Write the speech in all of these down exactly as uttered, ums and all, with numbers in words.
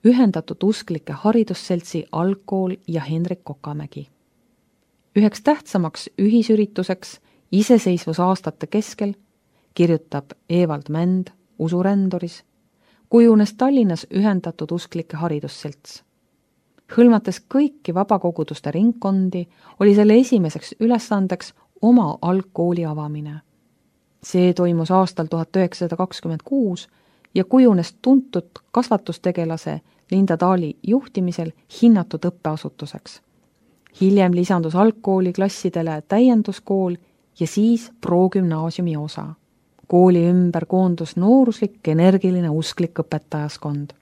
Ühendatud Usklike Haridusseltsi algkool ja Hendrik Kokamägi. Üheks tähtsamaks ühisürituseks iseseisvusaastate keskel, kirjutab Evald Mänd Usuränduris, kujunes Tallinnas Ühendatud Usklike Haridusselts. Hõlmates kõiki vabakoguduste ringkondi, oli selle esimeseks ülesandeks oma algkooli avamine. See toimus aastal tuhat üheksasada kakskümmend kuus ja kujunes tuntud kasvatustegelase Linda Taali juhtimisel hinnatud õppeasutuseks. Hiljem lisandus algkooli klassidele täienduskool ja siis progümnaasiumi osa. Kooli ümber koondus nooruslik, energiline usklik õpetajaskond.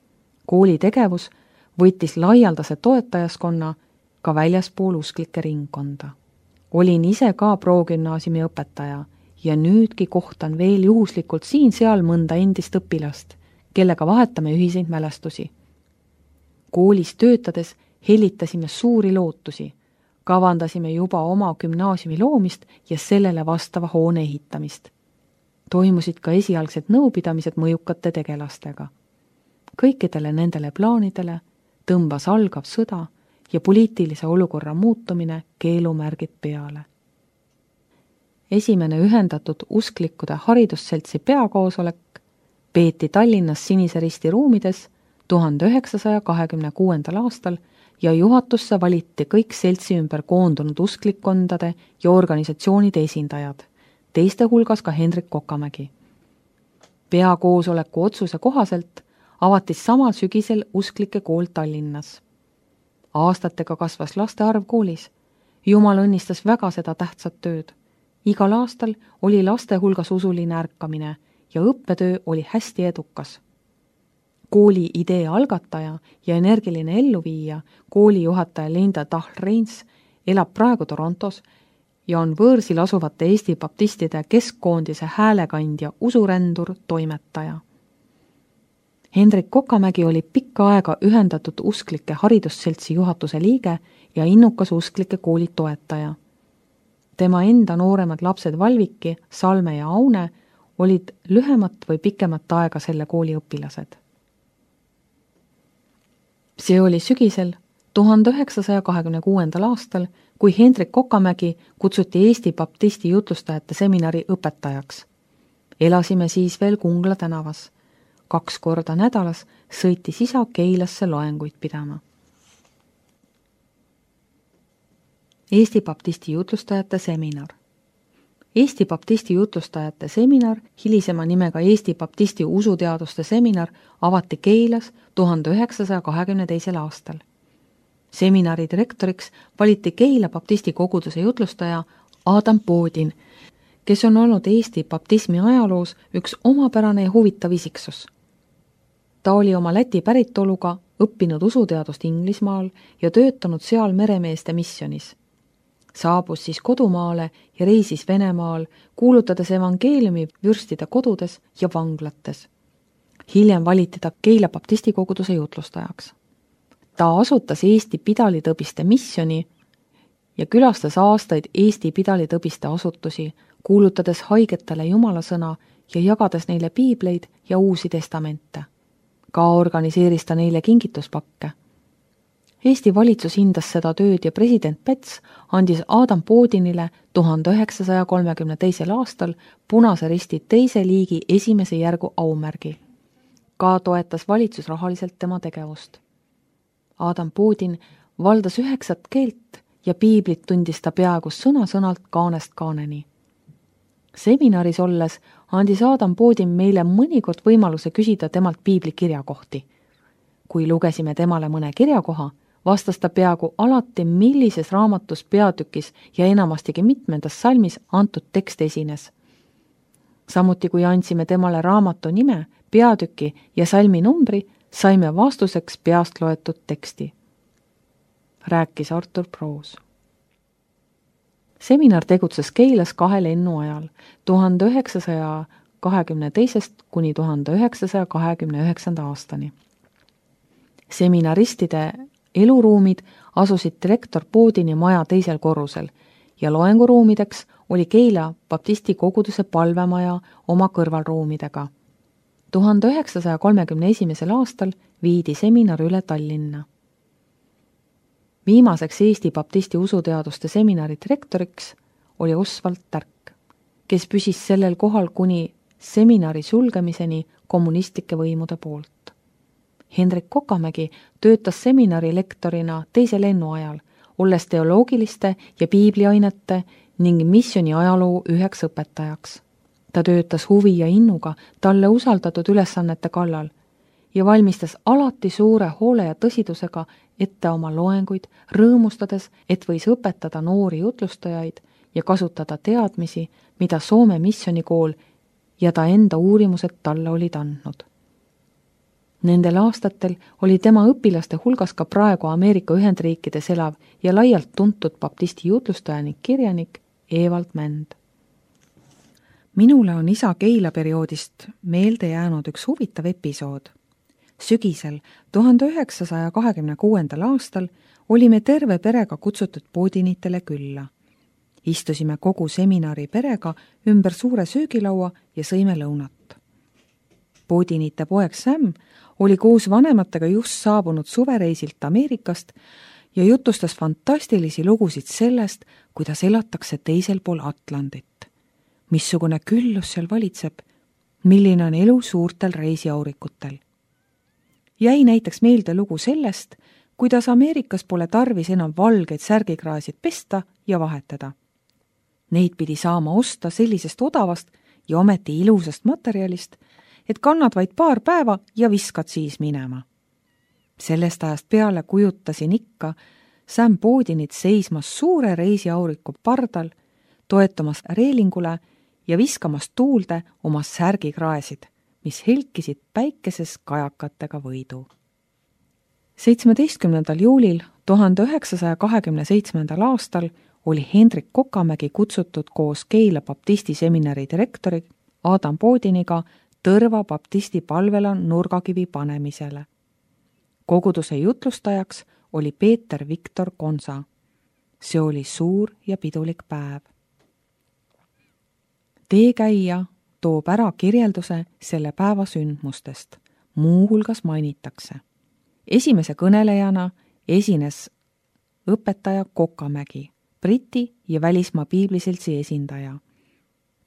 Kooli tegevus võttis laialdase toetajaskonna ka väljaspool usklike ringkonda. Olin ise ka progümnaasiumi õpetaja ja nüüdki kohtan veel juhuslikult siin-seal mõnda endist õpilast, kellega vahetame ühiseid mälestusi. Koolis töötades hellitasime suuri lootusi, kavandasime juba oma gümnaasiumi loomist ja sellele vastava hoone ehitamist. Toimusid ka esialgsed nõupidamised mõjukate tegelastega. Kõikidele nendele plaanidele tõmbas algav sõda ja poliitilise olukorra muutumine keelumärgid peale. Esimene Ühendatud Usklikkude Haridusseltsi peakoosolek peeti Tallinnas Sinise Risti ruumides tuhande üheksasaja kahekümne kuuendal aastal ja juhatusse valiti kõik seltsi ümber koondunud usklikkondade ja organisatsioonide esindajad, teiste hulgas ka Hendrik Kokamägi. Peakoosoleku otsuse kohaselt avatis samal sügisel usklike kool Tallinnas. Aastatega kasvas laste arv koolis. Jumal õnnistas väga seda tähtsat tööd. Igal aastal oli laste hulgas usuline ärkamine ja õppetöö oli hästi edukas. Kooli idee algataja ja energiline elluviija, koolijuhataja Linda Tahl-Reins, elab praegu Torontos ja on võõrsil asuvate Eesti baptistide keskkoondise häälekandja usurändur toimetaja. Hendrik Kokamägi oli pikka aega Ühendatud Usklike Haridusseltsi juhatuse liige ja innukas usklike kooli toetaja. Tema enda nooremad lapsed Valviki, Salme ja Aune olid lühemat või pikemat aega selle kooli õpilased. See oli sügisel tuhande üheksasaja kahekümne kuuendal aastal, kui Hendrik Kokamägi kutsuti Eesti baptisti jutlustajate seminari õpetajaks. Elasime siis veel Kungla tänavas. Kaks korda nädalas sõitis isa Keilasse loenguid pidama. Eesti baptisti jutlustajate seminar. Eesti baptisti jutlustajate seminar, hilisema nimega Eesti baptisti usuteaduste seminar, avati Keilas tuhande üheksasaja kahekümne teisel aastal. Seminari direktoriks valiti Keila baptisti koguduse jutlustaja Adam Poodin, kes on olnud Eesti baptismi ajaloos üks omapärane ja huvitav isiksus. Ta oli oma Läti päritoluga õppinud usuteadust Inglismaal ja töötanud seal meremeeste missionis. Saabus siis kodumaale ja reisis Venemaal, kuulutades evangeeliumi vürstide kodudes ja vanglates. Hiljem valiti ta Keila baptisti koguduse jutlustajaks. Ta asutas Eesti pidalitõbiste missioni ja külastas aastaid Eesti pidalitõbiste asutusi, kuulutades haigetele jumalasõna ja jagades neile piibleid ja uusi testamente. Ka organiseeris ta neile kingituspakke. Eesti valitsus hindas seda tööd ja president Päts andis Adam Poodinile tuhande üheksasaja kolmekümne teisel aastal Punase Risti teise liigi esimese järgu aumärgi. Ka toetas valitsus rahaliselt tema tegevust. Adam Poodin valdas üheksat keelt ja piiblit tundis ta peaaegu sõna-sõnalt kaanest kaaneni. Seminaris olles andis Adam Poodin meile mõnikord võimaluse küsida temalt piibli kirjakohti. Kui lugesime temale mõne kirjakoha, vastas ta peaaegu alati, millises raamatus, peatükis ja enamastigi mitmendas salmis antud tekst esines. Samuti kui andsime temale raamatu nime, peatüki ja salmi numbri, saime vastuseks peast loetud teksti. Rääkis Artur Proos. Seminar tegutses Keilas kahe lennu ajal, tuhande üheksasaja kahekümne teisest kuni tuhande üheksasaja kahekümne üheksanda aastani. Seminaristide eluruumid asusid direktor Poodini maja teisel korrusel ja loenguruumideks oli Keila baptisti koguduse palvemaja oma kõrvalruumidega. tuhande üheksasaja kolmekümne esimesel aastal viidi seminar üle Tallinna. Viimaseks Eesti baptisti usuteaduste seminari direktoriks oli Oswald Tärk, kes püsis sellel kohal kuni seminari sulgemiseni kommunistlike võimude poolt. Hendrik Kokamägi töötas seminari lektorina teise lennu ajal, olles teoloogiliste ja piibliainete ning missioni ajaloo üheks õpetajaks. Ta töötas huvi ja innuga talle usaldatud ülesannete kallal ja valmistas alati suure hoole ja tõsidusega ette oma loenguid, rõõmustades, et võis õpetada noori jutlustajaid ja kasutada teadmisi, mida Soome missionikool ja ta enda uurimused talle olid andnud. Nendel aastatel oli tema õpilaste hulgas ka praegu Ameerika Ühendriikides elav ja laialt tuntud baptisti jutlustaja ning kirjanik Evald Mänd. Minule on isa Keila perioodist meelde jäänud üks huvitav episood. Sügisel tuhande üheksasaja kahekümne kuuendal aastal olime terve perega kutsutud Poodinitele külla. Istusime kogu seminari perega ümber suure söögilaua ja sõime lõunat. Poodinite poeg Sam oli koos vanematega just saabunud suvereisilt Ameerikast ja jutustas fantastilisi lugusid sellest, kuidas elatakse teisel pool Atlandit. Missugune küllus seal valitseb, milline on elu suurtel reisiaurikutel. Jäi näiteks meelde lugu sellest, kuidas Ameerikas pole tarvis enam valgeid särgikraasid pesta ja vahetada. Neid pidi saama osta sellisest odavast ja ometi ilusast materjalist, et kannad vaid paar päeva ja viskad siis minema. Sellest ajast peale kujutasin ikka Sam Poodinit seismas suure reisiauriku pardal, toetumas reelingule ja viskamas tuulde oma särgikraesid, mis helkisid päikeses kajakatega võidu. seitsmeteistkümnendal juulil tuhande üheksasaja kahekümne seitsmendal aastal oli Hendrik Kokamägi kutsutud koos Keila baptisti seminari direktori Adam Poodiniga Tõrva baptisti palvela nurgakivi panemisele. Koguduse jutlustajaks oli Peeter Viktor Konsa. See oli suur ja pidulik päev. Teekäija toob ära kirjelduse selle päeva sündmustest. Muu hulgas mainitakse. Esimese kõnelejana esines õpetaja Kokamägi, Briti ja välismaa piibliseltsi esindaja.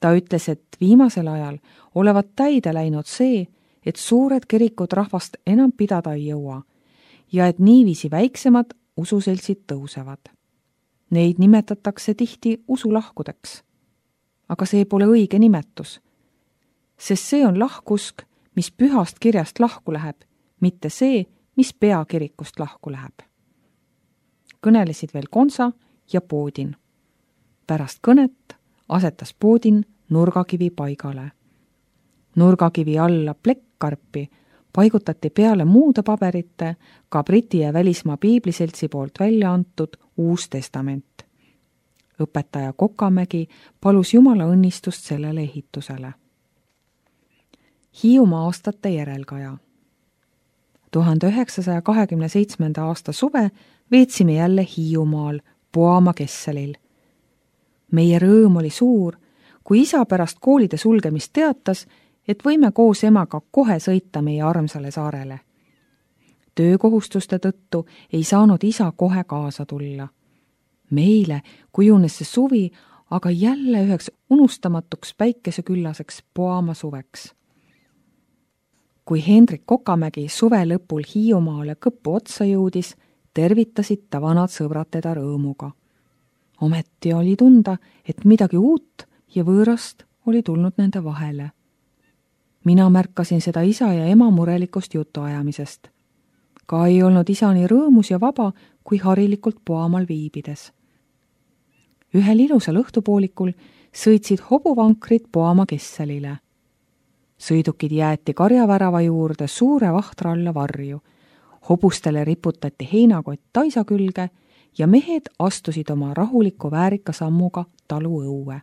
Ta ütles, et viimasel ajal olevat täide läinud see, et suured kirikud rahvast enam pidada ei jõua ja et niiviisi väiksemad ususeltsid tõusevad. Neid nimetatakse tihti usulahkudeks. Aga see pole õige nimetus, sest see on lahkusk, mis pühast kirjast lahku läheb, mitte see, mis peakirikust lahku läheb. Kõnelesid veel Konsa ja Poodin. Pärast kõnet asetas Poodin nurgakivi paigale. Nurgakivi alla plekkkarpi paigutati peale muude paberite ka Briti ja välismaa piibliseltsi poolt välja antud Uus Testament. Õpetaja Kokamägi palus Jumala õnnistust sellele ehitusele. Hiiumaa aastate järelkaja. tuhande üheksasaja kahekümne seitsmenda aasta suve veetsime jälle Hiiumaal Poama Kesselil. Meie rõõm oli suur, kui isa pärast koolide sulgemist teatas, et võime koos emaga kohe sõita meie armsale saarele. Töökohustuste tõttu ei saanud isa kohe kaasa tulla. Meile kujunes see suvi aga jälle üheks unustamatuks päikeseküllaseks Poama suveks. Kui Hendrik Kokamägi suve lõpul Hiiumaale kõppu otsa jõudis, tervitasid ta vanad sõbrad teda rõõmuga. Ometi oli tunda, et midagi uut ja võõrast oli tulnud nende vahele. Mina märkasin seda isa ja ema murelikust jutuajamisest. Ka ei olnud isa nii rõõmus ja vaba, kui harilikult Poamal viibides. Ühel ilusal õhtupoolikul sõitsid hobuvankrid Poama Kesselile. Sõidukid jäeti karjavärava juurde suure vahtra alla varju. Hobustele riputati heinakott taisa külge ja mehed astusid oma rahuliku väärika sammuga talu õue.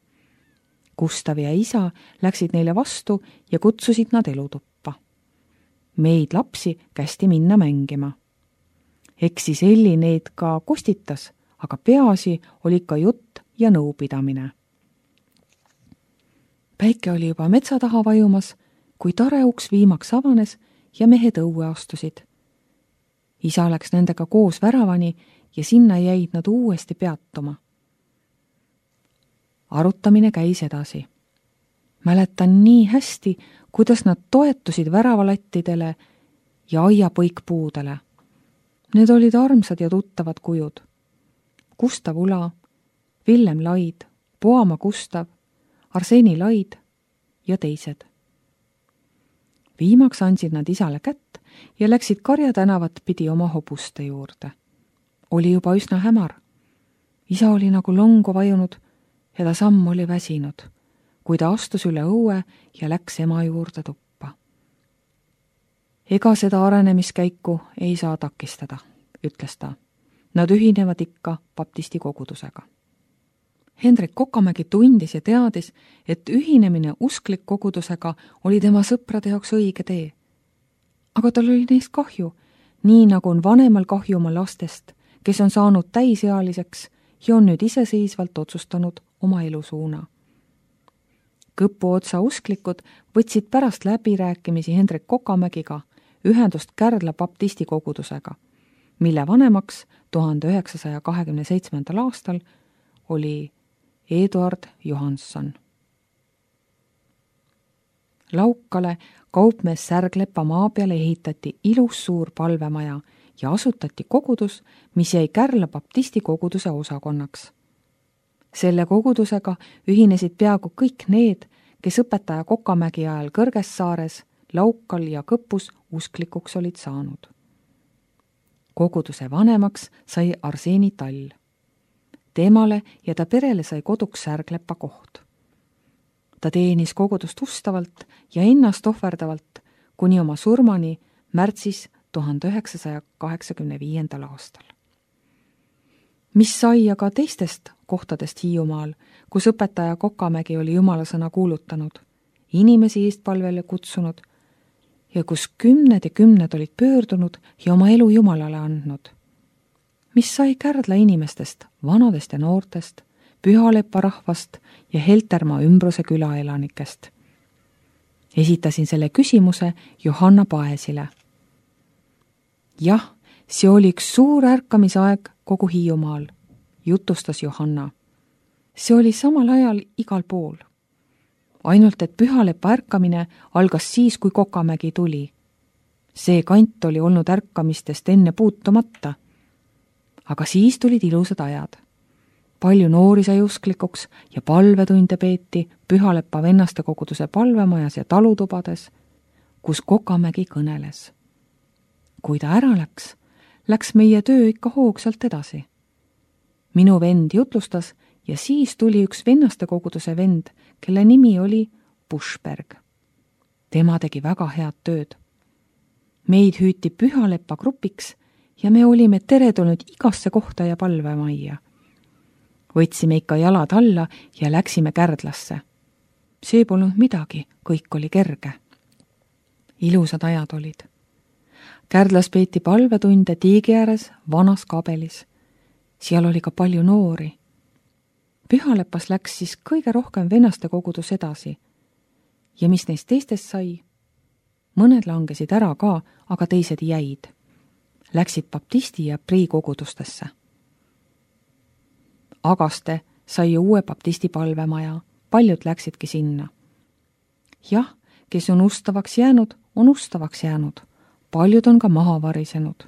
Gustav ja isa läksid neile vastu ja kutsusid nad elutuppa. Meid lapsi kästi minna mängima. Eks siis Elli neid ka kostitas, aga peaasi oli ka jutt ja nõupidamine. Päike oli juba metsa taha vajumas, kui tare uks viimaks avanes ja mehed õue astusid. Isa läks nendega koos väravani ja sinna jäid nad uuesti peatuma. Arutamine käis edasi. Mäletan nii hästi, kuidas nad toetusid väravalattidele ja aiapõikpuudele. Need olid armsad ja tuttavad kujud. Gustav Ula, Villem Laid, Poama Gustav, Arseni Laid ja teised. Viimaks andsid nad isale kätt ja läksid Karja tänavat pidi oma hobuste juurde. Oli juba üsna hämar. Isa oli nagu longu vajunud ja ta samm oli väsinud, kui ta astus üle õue ja läks ema juurde tuppa. Ega seda arenemiskäiku ei saa takistada, ütles ta. Nad ühinevad ikka baptisti kogudusega. Hendrik Kokamägi tundis ja teadis, et ühinemine usklik kogudusega oli tema sõprade jaoks õige tee. Aga tal oli neist kahju, nii nagu on vanemal kahju oma lastest, kes on saanud täisealiseks ja on nüüd iseseisvalt otsustanud oma elusuuna. Kõpu otsa usklikud võtsid pärast läbirääkimisi Hendrik Kokamägiga ühendust Kärdla baptisti kogudusega, mille vanemaks tuhande üheksasaja kahekümne seitsmendal aastal oli Eduard Johansson. Laukale kaupmees Särglepa maa peale ehitati ilus suur palvemaja ja asutati kogudus, mis jäi Kärla baptisti koguduse osakonnaks. Selle kogudusega ühinesid peaaegu kõik need, kes õpetaja Kokamägi ajal Kõrgessaares, Laukal ja Kõpus usklikuks olid saanud. Koguduse vanemaks sai Arseni Tall. Temale ja ta perele sai koduks Särglepa koht. Ta teenis kogudust ustavalt ja ennast ohverdavalt kuni oma surmani märtsis tuhande üheksasaja kaheksakümne viiendal aastal. Mis sai aga teistest kohtadest Hiiumaal, kus õpetaja Kokamägi oli jumalasõna kuulutanud, inimesi eestpalvele kutsunud ja kus kümned ja kümned olid pöördunud ja oma elu Jumalale andnud. Mis sai Kärdla inimestest, vanadest ja noortest, Pühalepa rahvast ja Heltermaa ümbruse külaelanikest? Esitasin selle küsimuse Johanna Paesile. Jah, see oli üks suur ärkamisaeg kogu Hiiumaal, jutustas Johanna. See oli samal ajal igal pool. Ainult, et Pühalepa ärkamine algas siis, kui Kokamägi tuli. See kant oli olnud ärkamistest enne puutumata. Aga siis tulid ilusad ajad. Palju noori sai usklikuks ja palvetunde peeti Pühalepa vennaste koguduse palvemajas ja talutubades, kus Kokamägi kõneles. Kui ta ära läks, läks meie töö ikka hoogsalt edasi. Minu vend jutlustas ja siis tuli üks vennaste koguduse vend, kelle nimi oli Buschberg. Tema tegi väga head tööd. Meid hüüti Pühalepa grupiks ja me olime teretulnud igasse kohta ja palvemajja. Võtsime ikka jalad alla ja läksime Kärdlasse. See polnud midagi, kõik oli kerge. Ilusad ajad olid. Kärdlas peeti palvetunde tiigi ääres vanas kabelis. Seal oli ka palju noori. Pühalepas läks siis kõige rohkem vennaste kogudus edasi. Ja mis neist teistest sai? Mõned langesid ära ka, aga teised jäid. Läksid baptisti ja prii kogudustesse. Agaste sai uue baptisti palvemaja, paljud läksidki sinna. Jah, kes on ustavaks jäänud, on ustavaks jäänud. Paljud on ka maha varisenud.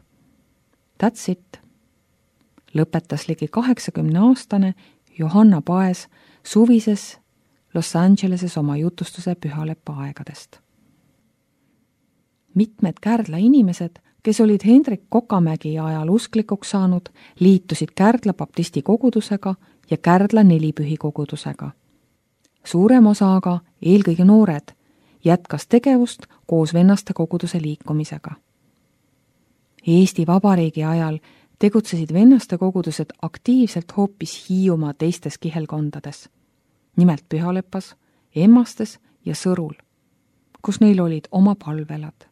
That's it. Lõpetas ligi kaheksakümne aastane Johanna Paes suvises Los Angeleses oma jutustuse Pühalepa aegadest. Mitmed Kärdla inimesed, kes olid Hendrik Kokamägi ajal usklikuks saanud, liitusid Kärdla baptisti kogudusega ja Kärdla nelipühi kogudusega. Suurem osa aga, eelkõige noored, jätkas tegevust koos vennaste koguduse liikumisega. Eesti Vabariigi ajal tegutsesid vennaste kogudused aktiivselt hoopis Hiiumaa teistes kihelkondades, nimelt Pühalepas, Emmastes ja Sõrul, kus neil olid oma palvelad.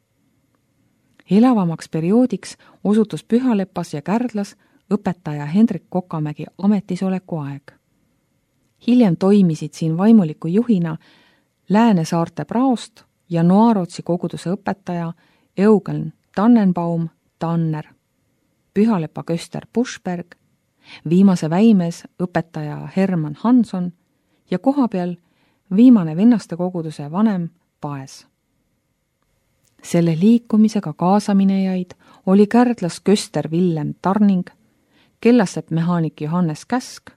Elavamaks perioodiks osutus Pühalepas ja Kärdlas õpetaja Hendrik Kokamägi ametisoleku aeg. Hiljem toimisid siin vaimuliku juhina Lääne-Saarte praost ja Noarotsi koguduse õpetaja Eugen Tannenbaum Tanner, Pühalepa köster Buschberg, viimase väimes õpetaja Hermann Hanson ja kohapeal viimane vennaste koguduse vanem Paes. Selle liikumisega kaasaminejaid oli Kärdlas köster Villem Tarning, Kellassepp mehaanik Johannes Käsk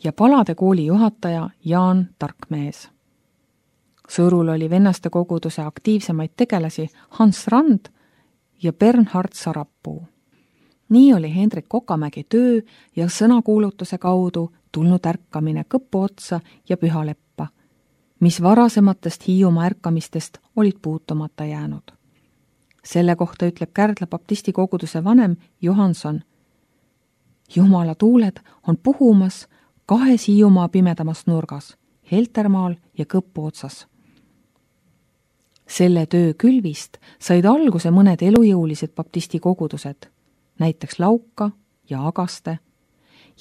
ja Palade kooli juhataja Jaan Tarkmees. Sõrul oli vennaste koguduse aktiivsemaid tegelasi Hans Rand ja Bernhard Sarapuu. Nii oli Hendrik Kokamägi töö ja sõnakuulutuse kaudu tulnud ärkamine Kõpu otsa ja Pühaleppa, mis varasematest Hiiumaa ärkamistest olid puutumata jäänud. Selle kohta ütleb Kärdla baptisti koguduse vanem Johanson: Jumala tuuled on puhumas kahes Hiiumaa pimedamas nurgas, Heltermaal ja Kõpu otsas. Selle töö külvist said alguse mõned elujõulised baptisti kogudused, näiteks Lauka ja Agaste,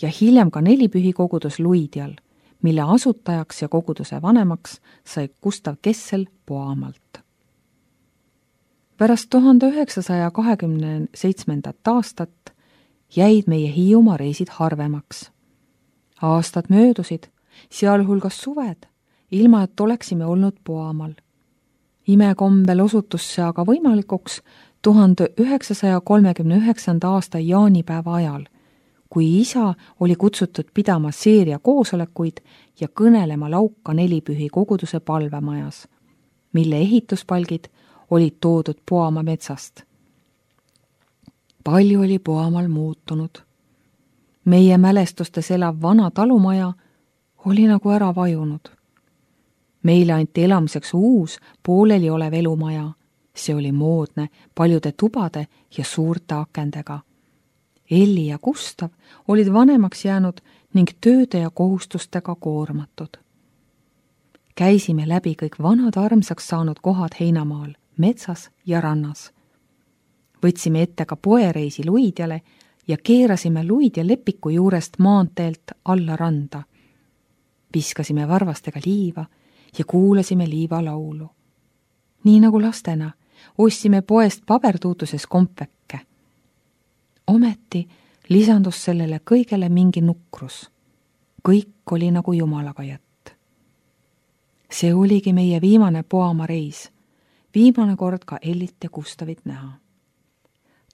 ja hiljem ka nelipühi kogudus Luidial, mille asutajaks ja koguduse vanemaks sai Gustav Kessel Poamalt. Pärast tuhande üheksasaja kahekümne seitsmendat aastat jäid meie Hiiumaa reisid harvemaks. Aastad möödusid, sealhulgas suved, ilma et oleksime olnud Poamal. Imekombel osutus see aga võimalikuks tuhande üheksasaja kolmekümne üheksanda aasta jaanipäeva ajal, kui isa oli kutsutud pidama seeria koosolekuid ja kõnelema Lauka nelipühi koguduse palvemajas, mille ehituspalgid olid toodud Poamaa metsast. Palju oli Poamal muutunud. Meie mälestustes elav vana talumaja oli nagu ära vajunud. Meile anti elamiseks uus, pooleli olev elumaja. See oli moodne, paljude tubade ja suurte akendega. Elli ja Gustav olid vanemaks jäänud ning tööde ja kohustustega koormatud. Käisime läbi kõik vanad armsaks saanud kohad Heinamaal, metsas ja rannas. Võtsime ette ka poereisi Luidjale ja keerasime Luidja lepiku juurest maanteelt alla randa. Viskasime varvastega liiva ja kuulasime liiva laulu. Nii nagu lastena ostsime poest pabertuutuses kompvekke. Ometi lisandus sellele kõigele mingi nukrus. Kõik oli nagu Jumalaga jätt. See oligi meie viimane Poamaa reis, viimane kord ka Ellit ja Gustavit näha.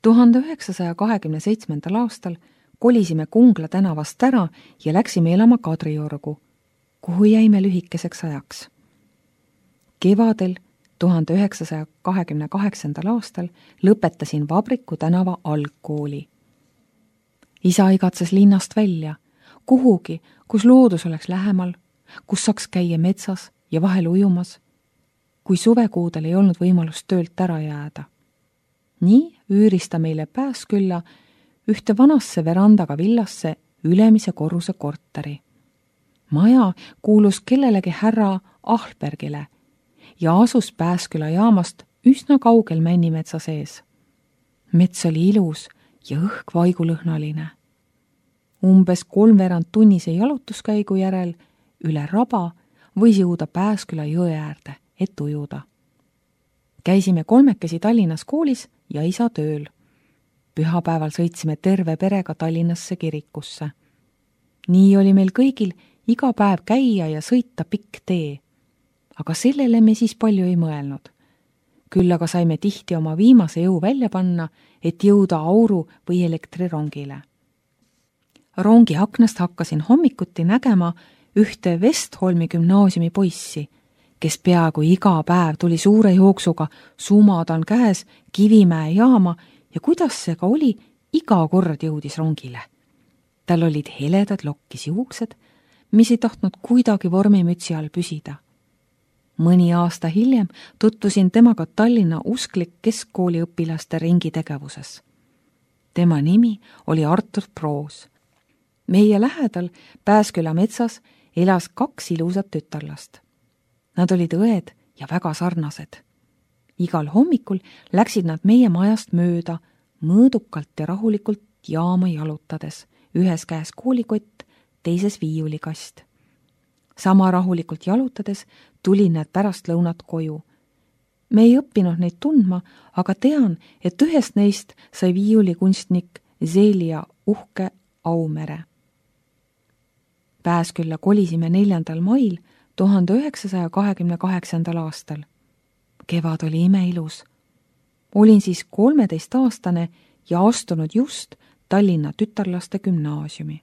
tuhande üheksasaja kahekümne seitsmendal aastal kolisime Kungla tänavast ära ja läksime elama Kadriorgu, kuhu jäime lühikeseks ajaks. Kevadel tuhande üheksasaja kahekümne kaheksandal aastal lõpetasin Vabriku tänava algkooli. Isa igatses linnast välja, kuhugi, kus loodus oleks lähemal, kus saaks käia metsas ja vahel ujumas, kui suvekuudel ei olnud võimalust töölt ära jääda. Nii üüris ta meile Pääskülla ühte vanasse verandaga villasse ülemise korruse korteri. Maja kuulus kellelegi härra Ahlbergile ja asus Pääsküla jaamast üsna kaugel Männimetsa sees. Mets oli ilus ja õhk vaigulõhnaline. Umbes kolmveerand tunnise jalutuskäigu järel üle raba võis jõuda Pääsküla jõe äärde, et ujuda. Käisime kolmekesi Tallinnas koolis ja isa tööl. Pühapäeval sõitsime terve perega Tallinnasse kirikusse. Nii oli meil kõigil iga päev käia ja sõita pikk tee. Aga sellele me siis palju ei mõelnud. Küll aga saime tihti oma viimase jõu välja panna, et jõuda auru või elektrirongile. Rongi aknast hakkasin hommikuti nägema ühte Vestholmi gümnaasiumi poissi, kes peaaegu iga päev tuli suure jooksuga, sumadan käes Kivimäe jaama ja kuidas see ka oli, iga kord jõudis rongile. Tal olid heledad lokkis juuksed, mis ei tahtnud kuidagi vormimütsi all püsida. Mõni aasta hiljem tutvusin temaga Tallinna usklik keskkooli õpilaste ringi tegevuses. Tema nimi oli Artur Proos. Meie lähedal Pääsküla metsas elas kaks ilusat tütarlast. Nad olid õed ja väga sarnased. Igal hommikul läksid nad meie majast mööda, mõõdukalt ja rahulikult jaama jalutades, ühes käes koolikott, teises viiulikast. sama rahulikult jalutades tulin need pärast lõunat koju. Me ei õppinud neid tundma, aga tean, et ühest neist sai viiulikunstnik Zelia uhke Aumere. Pääskülla kolisime neljandal mail tuhande üheksasaja kahekümne kaheksandal aastal. Kevad oli imeilus. Olin siis kolmeteistaastane ja astunud just Tallinna tütarlaste gümnaasiumi.